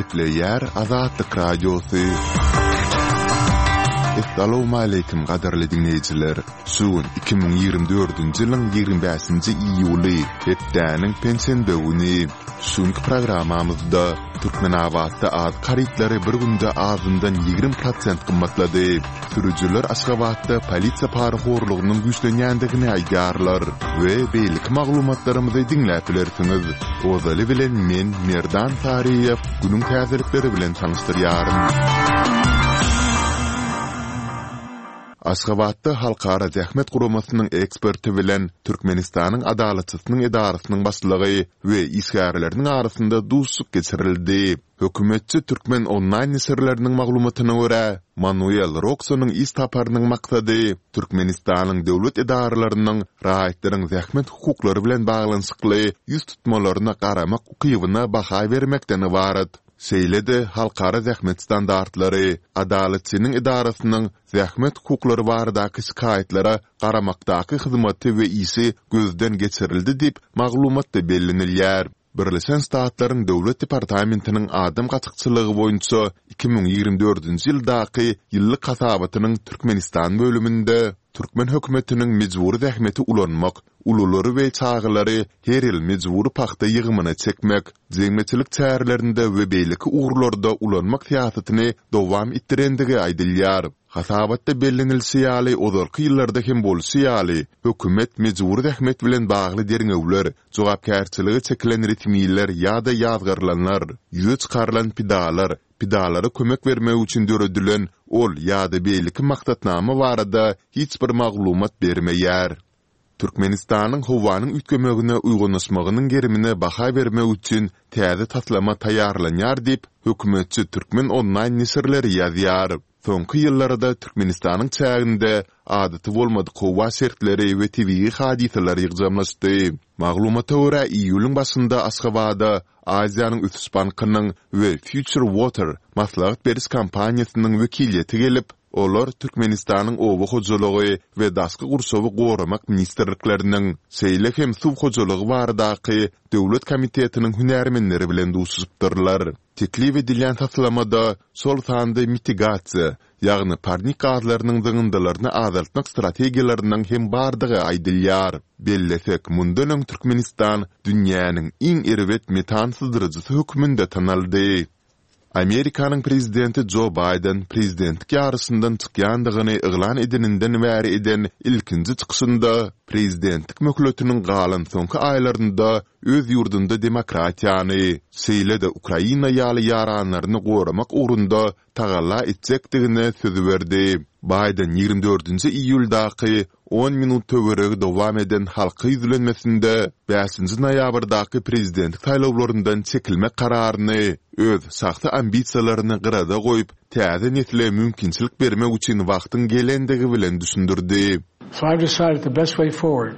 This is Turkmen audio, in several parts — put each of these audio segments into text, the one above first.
Gepleýär Azatlyk Radiosy. Essalawmaleýkim gadyrly diňleýjiler! Şu gün 2024-nji ýylyň 25-nji iýuly, hepdäniň penşenbe güni. Şu günki programmamyzda Türkmenabatda azyk harytlary bir günde azyndan 20 prosent gymmatlady. Sürüjiler Aşgabatda polisiýa parahorlugynyň güýçlenýändigini aýdýarlar we beýleki maglumatlarymyzy diňläp bilersiňiz. Ozaly bilen men, Merdan Saryýew, günüň täzelikleri bilen tanyşdyrýaryn. Aşgabatda Halkara zähmet guramasynyň eksperti bilen Türkmenistanyň Adalatçysynyň edarasynyň başlygy we işgärleriniň arasynda duşuşyk geçirildi. Hökümetçi Türkmen onlaýn neşirleriniň maglumatyna görä, Manuel Roksonyň iş saparynyň maksady Türkmenistanyň döwlet edaralarynyň raýatlaryň zähmet hukuklary bilen baglanyşykly ýüz tutmalaryna garamak ukybyna baha bermekden ybarat. Şeýle-de halkara zähmet standartlary, Adalatçynyň edarasynyň zähmet hukuklary baradaky şikaýatlara garamakdaky hyzmaty we işi gözden geçirildi diýip, maglumatda bellenilýär. Birleşen Ştatlaryň Döwlet departamentiniň adam gaçakçylygy boýunça 2024-nji ýyldaky ýyllyk hasabatynyň Türkmenistan bölüminde türkmen hökümetiniň mejbury zähmeti ulanmak, ululary we çagalary her ýyl mejbury pagta ýygymyna çekmek, jemgyýetçilik çärelerinde we beýleki ugurlarda ulanmak syýasatyny dowam etdirendigi aýdylýar. Hasabatda bellenilişi ýaly, ozalky ýyllarda hem bolşy ýaly, hökümet mejbury zähmet bilen bagly derňewler, jogapkärçilige çekilen resmiler ýa-da ýazgarylanlar, ýüze çykarylan pidalar, pidalara kömek bermek üçin döredilen ol ýa-da beýleki maksatnama barada hiç bir maglumat bermeýär. Türkmenistanyň howanyň üýtgemegine uýgunlaşmagynyň gerimine baha bermek üçin täze taslama taýýarlanýar diýip, hökümetçi Türkmen onlaýn neşirleri ýazýar. Soňky ýyllarda Türkmenistanyň çäginde adaty bolmadyk howa şertleri we tebigy hadysalar ýygjamlaşdy. Maglumata görä, iýulyň başynda Aşgabada Aziýanyň ösüş bankynyň we Future Water maslahat beriş kompaniýasynyň wekiliýeti gelip, olar Türkmenistanyň Oba hojalygy we Daşky gurşawy goramak ministrlikleriniň, şeýle hem Suw hojalygy baradaky döwlet komitetiniň hünärmenleri bilen duşuşypdyrlar. Teklip edilýän taslamada, şol sanda mitigasiýa, ýagny parnik gazlarynyň zyňyndylaryny azaltmak strategiýalarynyň hem bardygy aýdylýar. Bellesek, mundan öň Türkmenistan dünýäniň iň erbet metan syzdyryjysy hökmünde tanaldy. Amerikanyň prezidenti Jo Baýden prezidentlik ýaryşyndan çykýandygyny yglan edeninden bäri eden ilkinji çykyşynda prezidentlik möhletiniň galan soňky aýlarynda öz ýurdunda demokratiýany, şeýle-de Ukraina ýaly ýaranlaryny goramak ugrunda tagalla etjekdigine söz berdi. Baýden 24-nji iýuldaky on minut töweregi dowam eden halka ýüzlenmesinde bäşinji noýabrdaky prezidentlik saýlawlaryndan çekilmek kararyny öz şahsy ambisiýalaryny gyrada goýup, täze nesle mümkinçilik bermek üçin wagtyň gelendigi bilen düşündirdi. So I've decided the best way forward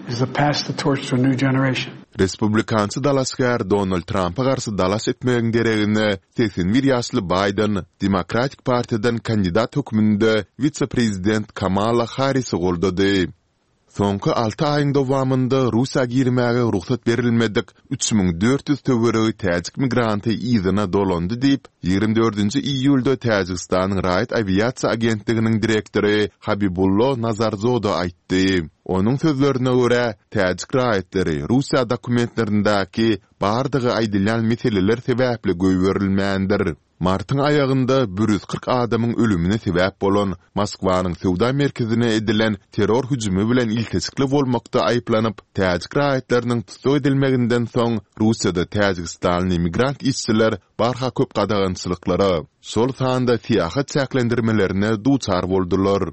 is to pass the torch to a new generation. Respublikançy dalaşgär Donald Trampa garşy dalaş etmegiň deregine, 81 ýaşly Baýden Demokratik partiýadan kandidat hökmünde wise-prezident Kamala Harrisi goldady. Soňky alty aýyň dowamynda Russiýa girmäge rugsat berilmedik 3400 töweregi täjik migranty yzyna dolandy diýip, 24-nji iýulda Täjigistanyň raýat awiasiýa agentliginiň direktory Habibullo Nazarzoda aýtdy. Onuň sözlerine görä, täjik raýatlary Russiýa dokumentlerindäki bardygy aýdylýan meseleler sebäpli goýberilmändir. Martyň aýagynda 140 adamyň ölümine sebäp bolan Moskwanyň söwda merkezine edilen terror hüjümi bilen ilteşikli bolmakda aýyplanyp, täjik raýatlarynyň tussag edilmeginden soň Russiýada täjigistanly migrant işçiler barha köp gadagançylyklara, şol sanda syýahat çäklendirmelerine duçar boldular.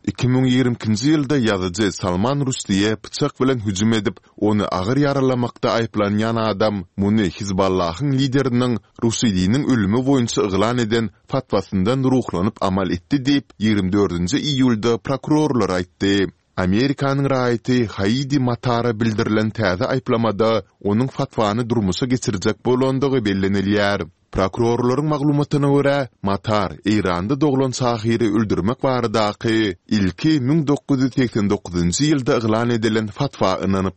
2022-nji ýylda ýazyjy Salman Ruşdiýe pyçak bilen hüjüm edip, ony agyr ýaralamakda aýyplanýan adam muny Hizballahyň lideriniň Ruşidiniň ölümi boýunça yglan eden fatwasyndan ruhlanyp amal etdi diýip, ýigrimi dördünji iýulda prokurorlar aýtdy. Amerikanyň raýaty Haidi Matara bildirilen täze aýyplamada onuň fatwany durmuşa geçirjek bolandygy bellenilýär. Prokurorlaryň maglumatyna görä, Matar Eýranda doglan şahyry öldürmek baradaky ilki 1989-njy ýylda yglan edilen fatwa ynanypdyr.